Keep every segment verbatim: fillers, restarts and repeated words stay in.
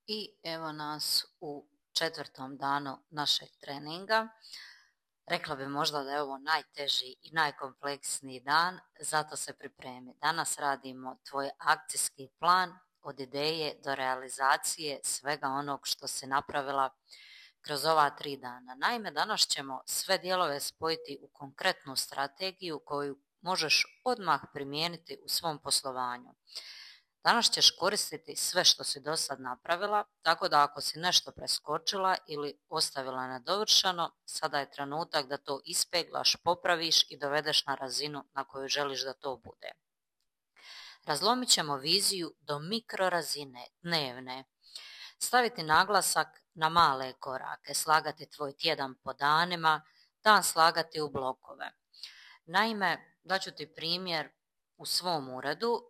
I evo nas u četvrtom danu našeg treninga. Rekla bi možda da je ovo najteži i najkompleksniji dan, zato se pripremi. Danas radimo tvoj akcijski plan od ideje do realizacije svega onog što si napravila kroz ova tri dana. Naime, danas ćemo sve dijelove spojiti u konkretnu strategiju koju možeš odmah primijeniti u svom poslovanju. Danas ćeš koristiti sve što si do sad napravila, tako da ako si nešto preskočila ili ostavila nedovršeno, sada je trenutak da to ispeglaš, popraviš i dovedeš na razinu na koju želiš da to bude. Razlomit ćemo viziju do mikrorazine, dnevne. Staviti naglasak na male korake, slagati tvoj tjedan po danima, dan slagati u blokove. Naime, daću ti primjer. U svom uredu,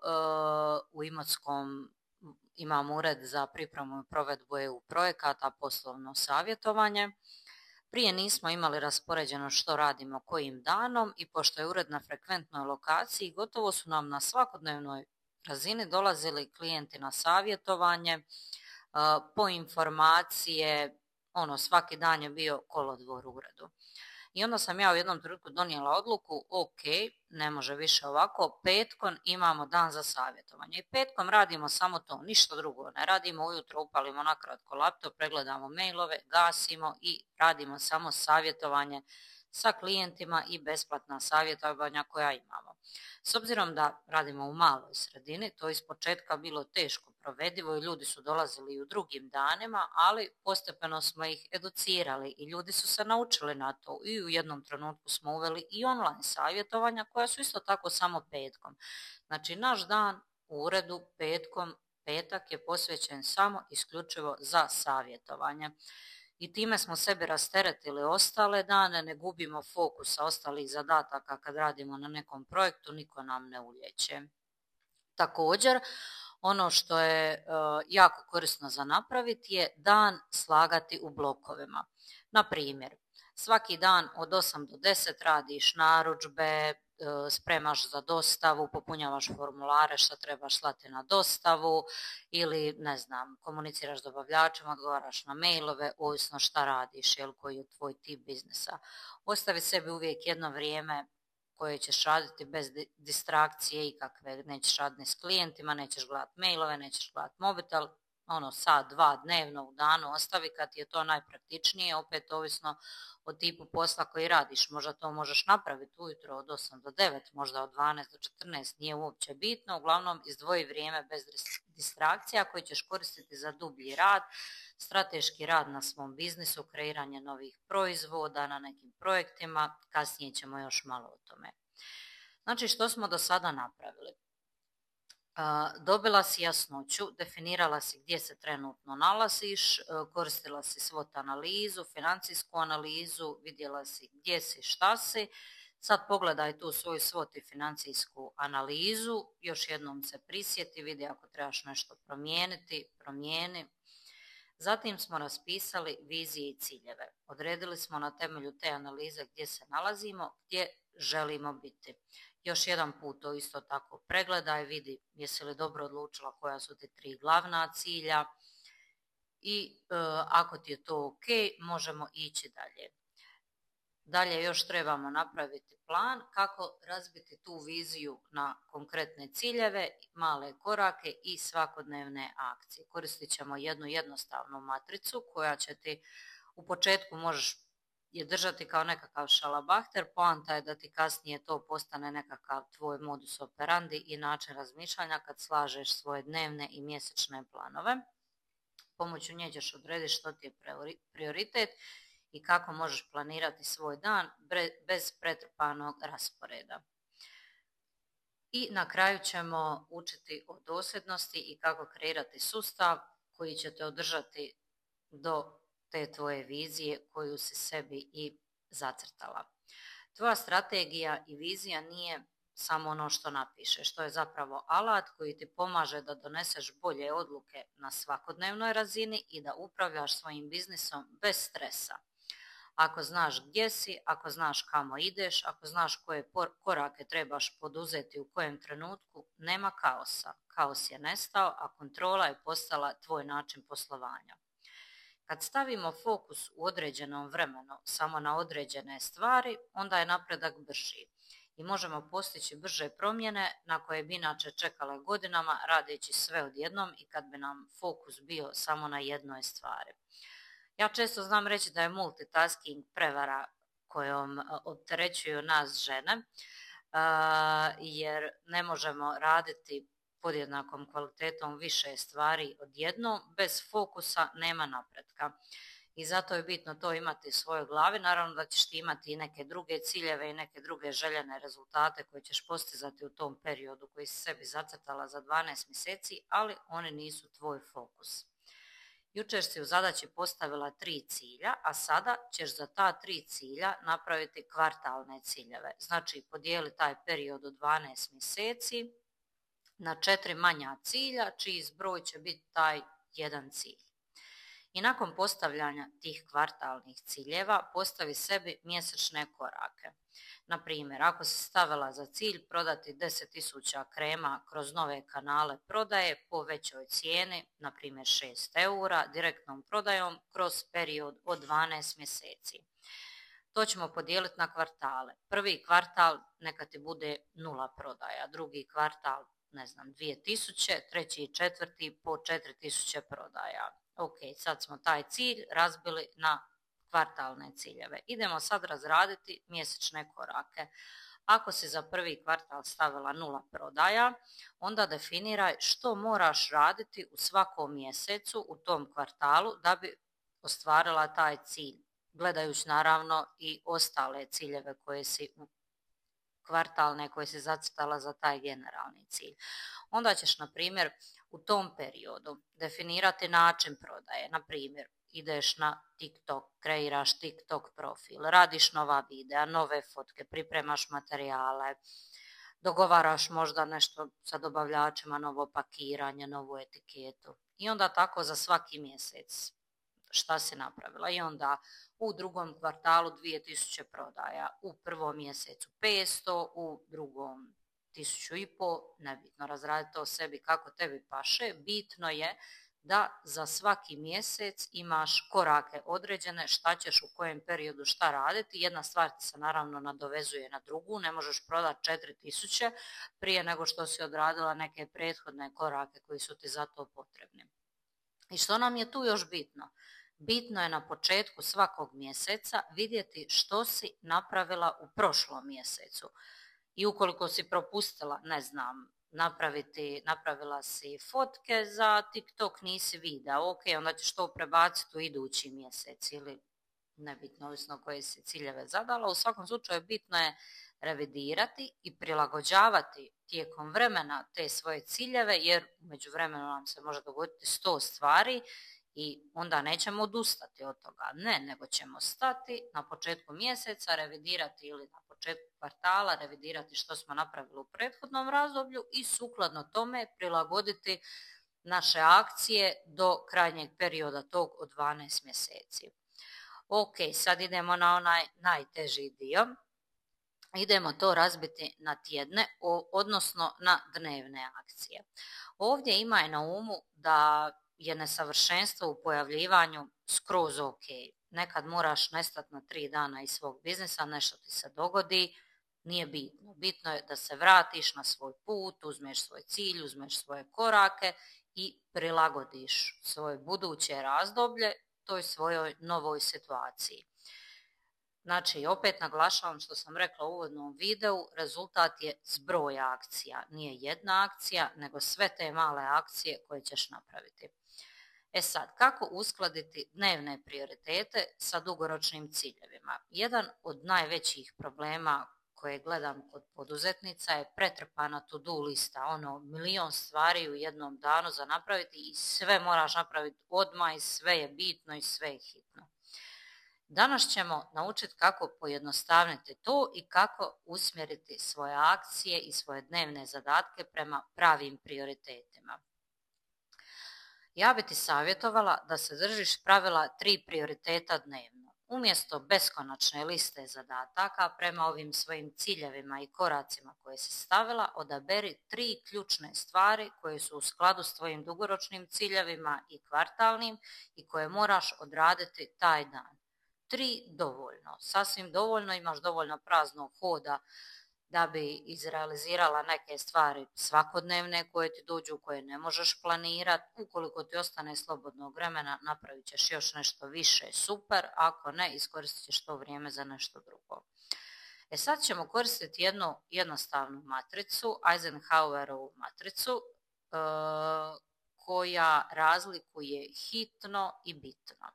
u Imotskom imam ured za pripremu i provedbu E U projekata, poslovno savjetovanje. Prije nismo imali raspoređeno što radimo kojim danom i pošto je ured na frekventnoj lokaciji, gotovo su nam na svakodnevnoj razini dolazili klijenti na savjetovanje, po informacije, ono svaki dan je bio kolodvor u uredu. I onda sam ja u jednom trenutku donijela odluku, ok, ne može više ovako, petkom imamo dan za savjetovanje. I petkom radimo samo to, ništa drugo. Ne radimo ujutro, upalimo nakratko laptop, pregledamo mailove, gasimo i radimo samo savjetovanje sa klijentima i besplatna savjetovanja koja imamo. S obzirom da radimo u maloj sredini, to je ispočetka bilo teško provedivo i ljudi su dolazili i u drugim danima, ali postepeno smo ih educirali i ljudi su se naučili na to i u jednom trenutku smo uveli i online savjetovanja koja su isto tako samo petkom. Znači naš dan u uredu petkom, petak je posvećen samo isključivo za savjetovanje. I time smo sebi rasteretili ostale dane, ne gubimo fokusa ostalih zadataka kad radimo na nekom projektu, niko nam ne uljeće. Također, ono što je uh, jako korisno za napraviti je dan slagati u blokovima. Na primjer, svaki dan od osam do deset radiš narudžbe, spremaš za dostavu, popunjavaš formulare što trebaš slati na dostavu ili ne znam, komuniciraš s dobavljačima, odgovaraš na mailove, ovisno šta radiš, jel, koji je tvoj tip biznisa. Ostavi sebi uvijek jedno vrijeme koje ćeš raditi bez distrakcije ikakve, nećeš raditi s klijentima, nećeš gledati mailove, nećeš gledati mobitel, ono sat, dva dnevno u danu ostavi kad ti je to najpraktičnije, opet ovisno o tipu posla koji radiš. Možda to možeš napraviti ujutro od osam do devet, možda od dvanaest do četrnaest, nije uopće bitno, uglavnom izdvoji vrijeme bez distrakcija koji ćeš koristiti za dublji rad, strateški rad na svom biznisu, kreiranje novih proizvoda na nekim projektima, kasnije ćemo još malo o tome. Znači što smo do sada napravili? Dobila si jasnoću, definirala si gdje se trenutno nalaziš, koristila si SWOT analizu, financijsku analizu, vidjela si gdje si, šta si. Sad pogledaj tu svoju SWOT i financijsku analizu, još jednom se prisjeti, vidi ako trebaš nešto promijeniti, promijeni. Zatim smo raspisali vizije i ciljeve. Odredili smo na temelju te analize gdje se nalazimo, gdje želimo biti. Još jedan put to isto tako pregledaj, vidi jesi li dobro odlučila koja su ti tri glavna cilja i e, ako ti je to ok, možemo ići dalje. Dalje još trebamo napraviti plan kako razbiti tu viziju na konkretne ciljeve, male korake i svakodnevne akcije. Koristit ćemo jednu jednostavnu matricu koja će ti u početku možeš je držati kao nekakav šalabahter, poanta je da ti kasnije to postane nekakav tvoj modus operandi i način razmišljanja kad slažeš svoje dnevne i mjesečne planove. Pomoću nje ćeš odrediti što ti je prioritet i kako možeš planirati svoj dan bez pretrpanog rasporeda. I na kraju ćemo učiti o dosljednosti i kako kreirati sustav koji će te održati do te tvoje vizije koju si sebi i zacrtala. Tvoja strategija i vizija nije samo ono što napišeš, to je zapravo alat koji ti pomaže da doneseš bolje odluke na svakodnevnoj razini i da upravljaš svojim biznisom bez stresa. Ako znaš gdje si, ako znaš kamo ideš, ako znaš koje korake trebaš poduzeti u kojem trenutku, nema kaosa. Kaos je nestao, a kontrola je postala tvoj način poslovanja. Kad stavimo fokus u određenom vremenu samo na određene stvari, onda je napredak brži i možemo postići brže promjene na koje bi inače čekale godinama radeći sve odjednom i kad bi nam fokus bio samo na jednoj stvari. Ja često znam reći da je multitasking prevara kojom opterećuju nas žene, jer ne možemo raditi podjednakom kvalitetom više stvari odjednom, bez fokusa nema napretka. I zato je bitno to imati u svojoj glavi. Naravno da ćeš ti imati i neke druge ciljeve i neke druge željene rezultate koje ćeš postizati u tom periodu koji si sebi zacrtala za dvanaest mjeseci, ali oni nisu tvoj fokus. Jučer si u zadaći postavila tri cilja, a sada ćeš za ta tri cilja napraviti kvartalne ciljeve. Znači podijeli taj period od dvanaest mjeseci na četiri manja cilja, čiji zbroj će biti taj jedan cilj. I nakon postavljanja tih kvartalnih ciljeva postavi sebi mjesečne korake. Na primjer, ako si stavila za cilj prodati deset tisuća krema kroz nove kanale prodaje po većoj cijeni, na primjer šest eura, direktnom prodajom kroz period od dvanaest mjeseci. To ćemo podijeliti na kvartale. Prvi kvartal neka ti bude nula prodaja, drugi kvartal ne znam, dvije tisuće, treći i četvrti po četiri tisuće prodaja. Ok, sad smo taj cilj razbili na kvartalne ciljeve. Idemo sad razraditi mjesečne korake. Ako si za prvi kvartal stavila nula prodaja, onda definiraj što moraš raditi u svakom mjesecu u tom kvartalu da bi ostvarila taj cilj, gledajući naravno i ostale ciljeve koje si kvartalne koje si zacrtala za taj generalni cilj. Onda ćeš, na primjer, u tom periodu definirati način prodaje. Na primjer, ideš na TikTok, kreiraš TikTok profil, radiš nova videa, nove fotke, pripremaš materijale, dogovaraš možda nešto sa dobavljačima, novo pakiranje, novu etiketu. I onda tako za svaki mjesec šta si napravila. I onda u drugom kvartalu dvije tisuće prodaja, u prvom mjesecu petsto, u drugom tisuću i po, nebitno, razradi to sebi kako tebi paše. Bitno je da za svaki mjesec imaš korake određene, šta ćeš u kojem periodu šta raditi. Jedna stvar ti se naravno nadovezuje na drugu, ne možeš prodati četiri tisuće prije nego što si odradila neke prethodne korake koji su ti za to potrebni. I što nam je tu još bitno? Bitno je na početku svakog mjeseca vidjeti što si napravila u prošlom mjesecu. I ukoliko si propustila, ne znam, napraviti, napravila si fotke za TikTok, nisi video, ok, onda ćeš to prebaciti u idući mjesec ili nebitno, ovisno koje si ciljeve zadala. U svakom slučaju bitno je revidirati i prilagođavati tijekom vremena te svoje ciljeve, jer u međuvremenu nam se može dogoditi sto stvari i onda nećemo odustati od toga. Ne, nego ćemo stati na početku mjeseca, revidirati ili na početku kvartala, revidirati što smo napravili u prethodnom razdoblju i sukladno tome prilagoditi naše akcije do krajnjeg perioda tog od dvanaest mjeseci. Ok, sad idemo na onaj najteži dio. Idemo to razbiti na tjedne, odnosno na dnevne akcije. Ovdje imaj na umu da je nesavršenstvo u pojavljivanju skroz ok. Nekad moraš nestati na tri dana iz svog biznisa, nešto ti se dogodi, nije bitno. Bitno je da se vratiš na svoj put, uzmeš svoj cilj, uzmeš svoje korake i prilagodiš svoje buduće razdoblje toj svojoj novoj situaciji. Znači, opet naglašavam što sam rekla u uvodnom videu, rezultat je zbroj akcija. Nije jedna akcija, nego sve te male akcije koje ćeš napraviti. E sad, kako uskladiti dnevne prioritete sa dugoročnim ciljevima? Jedan od najvećih problema koje gledam kod poduzetnica je pretrpana to-do lista, ono milion stvari u jednom danu za napraviti i sve moraš napraviti odmah i sve je bitno i sve je hitno. Danas ćemo naučiti kako pojednostavniti to i kako usmjeriti svoje akcije i svoje dnevne zadatke prema pravim prioritetima. Ja bi ti savjetovala da se držiš pravila tri prioriteta dnevno. Umjesto beskonačne liste zadataka prema ovim svojim ciljevima i koracima koje si stavila, odaberi tri ključne stvari koje su u skladu s tvojim dugoročnim ciljevima i kvartalnim i koje moraš odraditi taj dan. Tri dovoljno, sasvim dovoljno, imaš dovoljno praznog hoda da bi izrealizirala neke stvari svakodnevne koje ti dođu, koje ne možeš planirati. Ukoliko ti ostane slobodnog vremena, napravit ćeš još nešto više, super, ako ne, iskoristit ćeš to vrijeme za nešto drugo. E sad ćemo koristiti jednu jednostavnu matricu, Eisenhowerovu matricu, e, koja razlikuje hitno i bitno.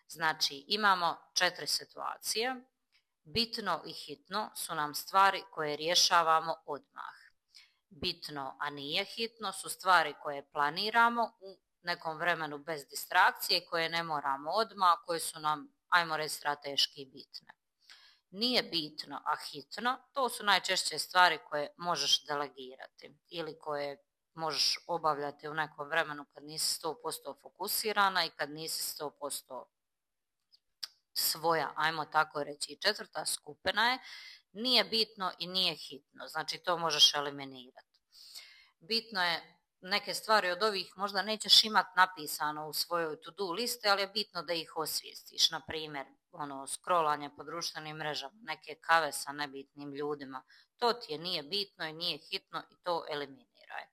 Znači, imamo četiri situacije. Bitno i hitno su nam stvari koje rješavamo odmah. Bitno, a nije hitno, su stvari koje planiramo u nekom vremenu bez distrakcije, koje ne moramo odmah, koje su nam, ajmo reći, strateški bitne. Nije bitno, a hitno, to su najčešće stvari koje možeš delegirati ili koje možeš obavljati u nekom vremenu kad nisi sto posto fokusirana i kad nisi sto posto svoja, ajmo tako reći. I četvrta skupina je nije bitno i nije hitno, znači to možeš eliminirati. Bitno je, neke stvari od ovih možda nećeš imati napisano u svojoj to-do listi, ali je bitno da ih osvijestiš. Na primjer, ono, scrollanje po društvenim mrežama, neke kave sa nebitnim ljudima, to ti je nije bitno i nije hitno i to eliminiraj.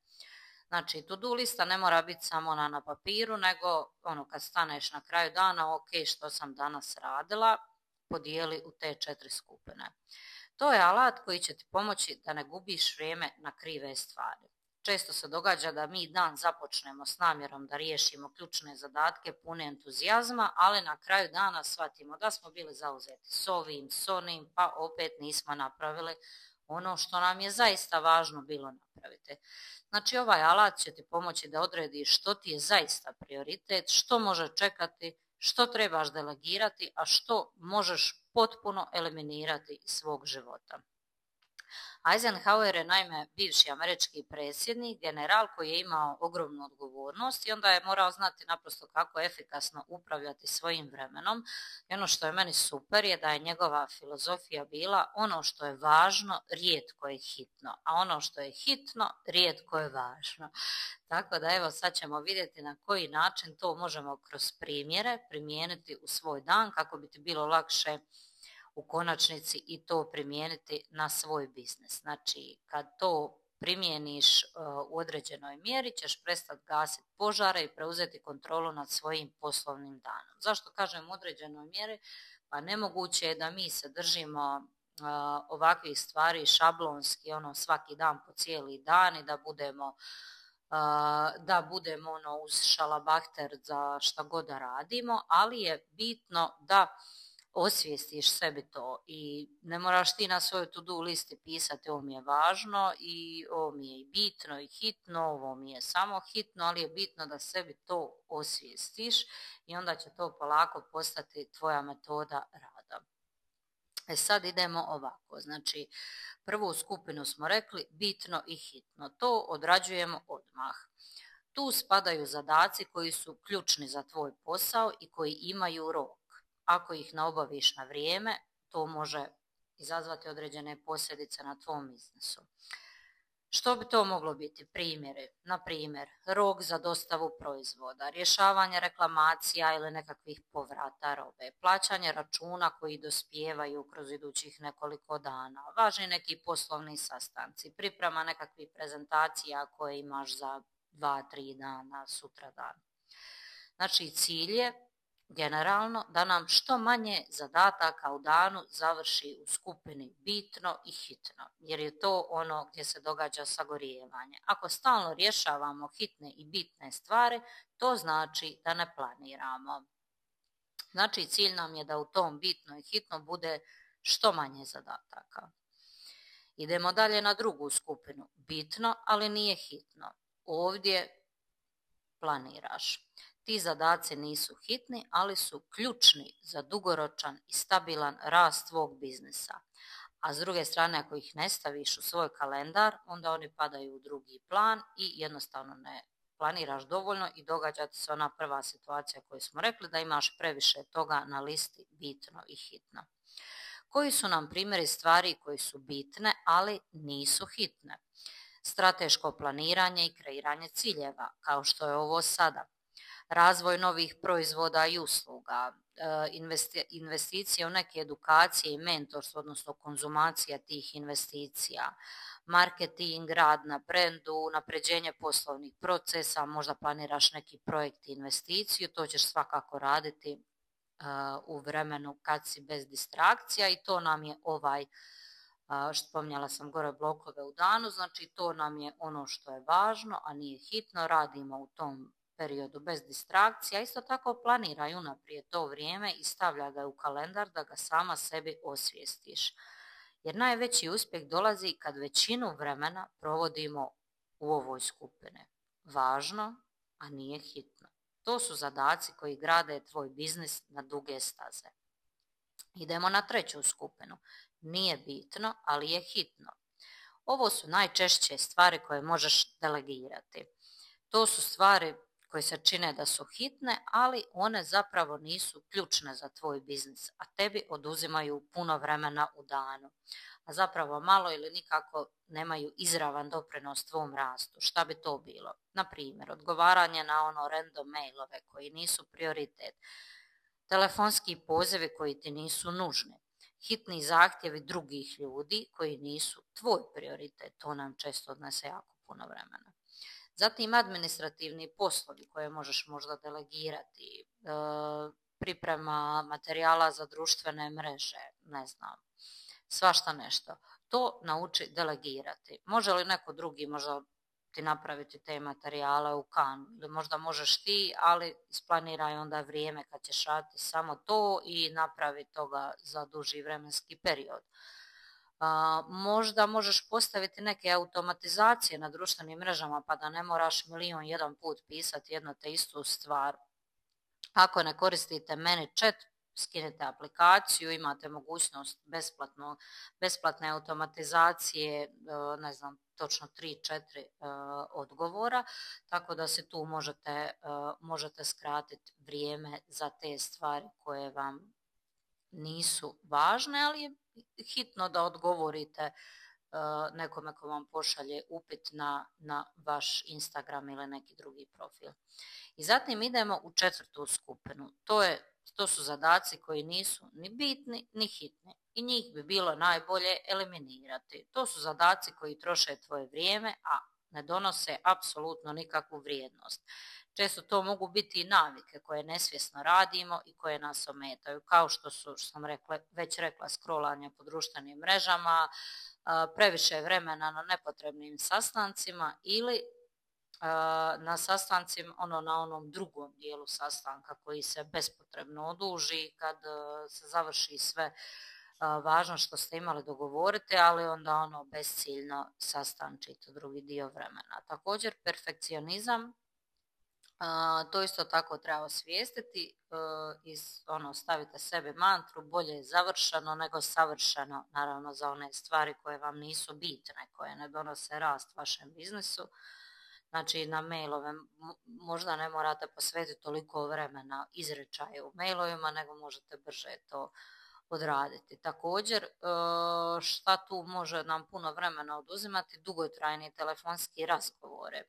Znači, to-do lista ne mora biti samo ona na papiru, nego ono, kad staneš na kraju dana, ok, što sam danas radila, podijeli u te četiri skupine. To je alat koji će ti pomoći da ne gubiš vrijeme na krive stvari. Često se događa da mi dan započnemo s namjerom da riješimo ključne zadatke pune entuzijazma, ali na kraju dana shvatimo da smo bili zauzeti s ovim, s onim, pa opet nismo napravili ono što nam je zaista važno bilo napraviti. Znači, ovaj alat će ti pomoći da odrediš što ti je zaista prioritet, što može čekati, što trebaš delegirati, a što možeš potpuno eliminirati iz svog života. Eisenhower je naime bivši američki predsjednik, general koji je imao ogromnu odgovornost i onda je morao znati naprosto kako efikasno upravljati svojim vremenom. I ono što je meni super je da je njegova filozofija bila ono što je važno, rijetko je hitno, a ono što je hitno, rijetko je važno. Tako da evo sad ćemo vidjeti na koji način to možemo kroz primjere primijeniti u svoj dan kako bi ti bilo lakše u konačnici i to primijeniti na svoj biznis. Znači, kad to primijeniš uh, u određenoj mjeri, ćeš prestati gasiti požare i preuzeti kontrolu nad svojim poslovnim danom. Zašto kažem u određenoj mjeri? Pa nemoguće je da mi se držimo uh, ovakvih stvari šablonski, ono, svaki dan po cijeli dan i da budemo uh, da budemo ono uz šalabahter za šta god da radimo, ali je bitno da osvijestiš sebi to i ne moraš ti na svojoj to-do listi pisati ovo mi je važno i ovo mi je i bitno i hitno, ovo mi je samo hitno, ali je bitno da sebi to osvijestiš i onda će to polako postati tvoja metoda rada. E sad idemo ovako, znači prvu skupinu smo rekli bitno i hitno, to odrađujemo odmah. Tu spadaju zadaci koji su ključni za tvoj posao i koji imaju rok. Ako ih ne obaviš na vrijeme, to može izazvati određene posljedice na tvom biznisu. Što bi to moglo biti? Primjeri, na primjer, rok za dostavu proizvoda, rješavanje reklamacija ili nekakvih povrata robe, plaćanje računa koji dospijevaju kroz idućih nekoliko dana, važni neki poslovni sastanci, priprema nekakvih prezentacija koje imaš za dva, tri dana, sutra dan. Znači, cilj je generalno da nam što manje zadataka u danu završi u skupini bitno i hitno, jer je to ono gdje se događa sagorijevanje. Ako stalno rješavamo hitne i bitne stvari, to znači da ne planiramo. Znači, cilj nam je da u tom bitno i hitno bude što manje zadataka. Idemo dalje na drugu skupinu. Bitno, ali nije hitno. Ovdje planiraš. Ti zadaci nisu hitni, ali su ključni za dugoročan i stabilan rast tvog biznisa. A s druge strane, ako ih ne staviš u svoj kalendar, onda oni padaju u drugi plan i jednostavno ne planiraš dovoljno i događa ti se ona prva situacija koju smo rekli, da imaš previše toga na listi bitno i hitno. Koji su nam primjeri stvari koji su bitne, ali nisu hitne? Strateško planiranje i kreiranje ciljeva, kao što je ovo sada. Razvoj novih proizvoda i usluga, investicije u neke edukacije i mentorstvo, odnosno konzumacija tih investicija, marketing, rad na brendu, unapređenje poslovnih procesa, možda planiraš neki projekt i investiciju, to ćeš svakako raditi u vremenu kad si bez distrakcija i to nam je ovaj, što spominjala sam gore, blokove u danu, znači to nam je ono što je važno, a nije hitno, radimo u tom periodu bez distrakcija. Isto tako planiraj unaprijed to vrijeme i stavlja ga u kalendar da ga sama sebi osvijestiš. Jer najveći uspjeh dolazi kad većinu vremena provodimo u ovoj skupini. Važno, a nije hitno. To su zadaci koji grade tvoj biznis na duge staze. Idemo na treću skupinu. Nije bitno, ali je hitno. Ovo su najčešće stvari koje možeš delegirati. To su stvari koje se čine da su hitne, ali one zapravo nisu ključne za tvoj biznis, a tebi oduzimaju puno vremena u danu. A zapravo malo ili nikako nemaju izravan doprinos tvom rastu. Šta bi to bilo? Na primjer, odgovaranje na ono random mailove koji nisu prioritet, telefonski pozivi koji ti nisu nužni, hitni zahtjevi drugih ljudi koji nisu tvoj prioritet. To nam često odnese jako puno vremena. Zatim administrativni poslovi koje možeš možda delegirati, e, priprema materijala za društvene mreže, ne znam, svašta nešto. To nauči delegirati. Može li neko drugi možda ti napraviti te materijale u Canvu ili možda možeš ti, ali isplaniraj onda vrijeme kad ćeš raditi samo to i napravi toga za duži vremenski period. Uh, možda možeš postaviti neke automatizacije na društvenim mrežama pa da ne moraš milion jedan put pisati jedno te istu stvar. Ako ne koristite ManyChat, skinite aplikaciju, imate mogućnost besplatno, besplatne automatizacije, uh, ne znam, točno tri četiri uh, odgovora, tako da se tu možete, uh, možete skratiti vrijeme za te stvari koje vam nisu važne, ali je hitno da odgovorite uh, nekome ko vam pošalje upit na, na vaš Instagram ili neki drugi profil. I zatim idemo u četvrtu skupinu. To, je, to su zadaci koji nisu ni bitni ni hitni i njih bi bilo najbolje eliminirati. To su zadaci koji troše tvoje vrijeme, a ne donose apsolutno nikakvu vrijednost. Često to mogu biti i navike koje nesvjesno radimo i koje nas ometaju, kao što su, što sam rekla, već rekla, scrollanje po društvenim mrežama, previše vremena na nepotrebnim sastancima ili na sastancima, ono na onom drugom dijelu sastanka koji se bespotrebno oduži kad se završi sve važno što ste imali dogovoriti, ali onda ono besciljno sastančite drugi dio vremena. Također perfekcionizam, Uh, to isto tako treba osvijestiti uh, i ono, stavite sebi mantru, bolje je završeno nego savršeno, naravno za one stvari koje vam nisu bitne, koje ne donose rast vašem biznisu. Znači na mailove možda ne morate posvetiti toliko vremena izrečaju u mailovima, nego možete brže to odraditi. Također, uh, šta tu može nam puno vremena oduzimati? Dugotrajni telefonski razgovore.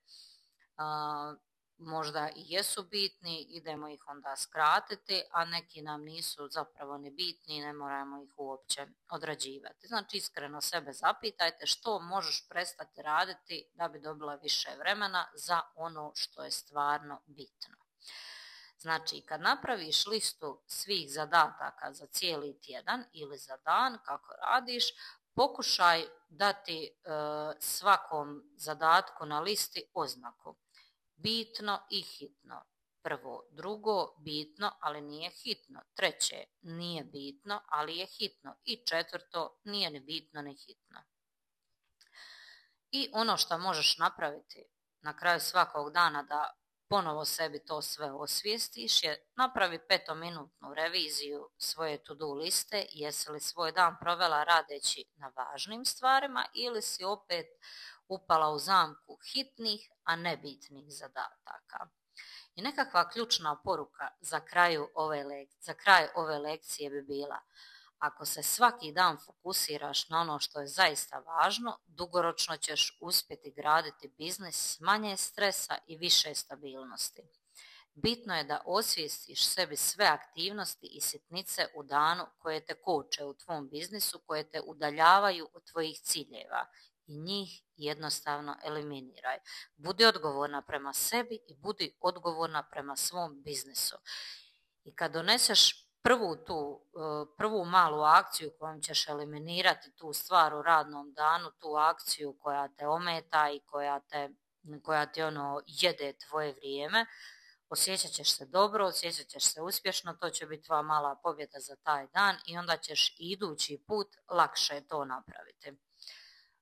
Uh, možda i jesu bitni, idemo ih onda skratiti, a neki nam nisu zapravo ni bitni i ne moramo ih uopće odrađivati. Znači iskreno sebe zapitajte što možeš prestati raditi da bi dobila više vremena za ono što je stvarno bitno. Znači kad napraviš listu svih zadataka za cijeli tjedan ili za dan kako radiš, pokušaj dati e, svakom zadatku na listi oznaku. Bitno i hitno. Prvo, drugo, bitno, ali nije hitno. Treće, nije bitno, ali je hitno. I četvrto, nije ni bitno ni hitno. I ono što možeš napraviti na kraju svakog dana da ponovo sebi to sve osvijestiš je napravi petominutnu reviziju svoje to-do liste, jesi li svoj dan provela radeći na važnim stvarima ili si opet upala u zamku hitnih, a nebitnih zadataka. I nekakva ključna poruka za, kraju ove lek- za kraj ove lekcije bi bila: ako se svaki dan fokusiraš na ono što je zaista važno, dugoročno ćeš uspjeti graditi biznis s manje stresa i više stabilnosti. Bitno je da osvijestiš sebi sve aktivnosti i sitnice u danu koje te koče u tvom biznisu, koje te udaljavaju od tvojih ciljeva i njih jednostavno eliminiraj. Budi odgovorna prema sebi i budi odgovorna prema svom biznisu. I kad doneseš prvu tu, prvu malu akciju kojom ćeš eliminirati tu stvar u radnom danu, tu akciju koja te ometa i koja te, koja ti ono jede tvoje vrijeme, osjećat ćeš se dobro, osjećat ćeš se uspješno, to će biti tvoja mala pobjeda za taj dan i onda ćeš idući put lakše to napraviti.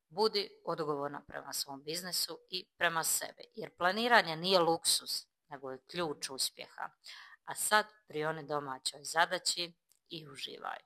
Budi odgovorna prema svom biznisu i prema sebi, jer planiranje nije luksus, nego je ključ uspjeha. A sad prioni domaćoj zadaći i uživaj.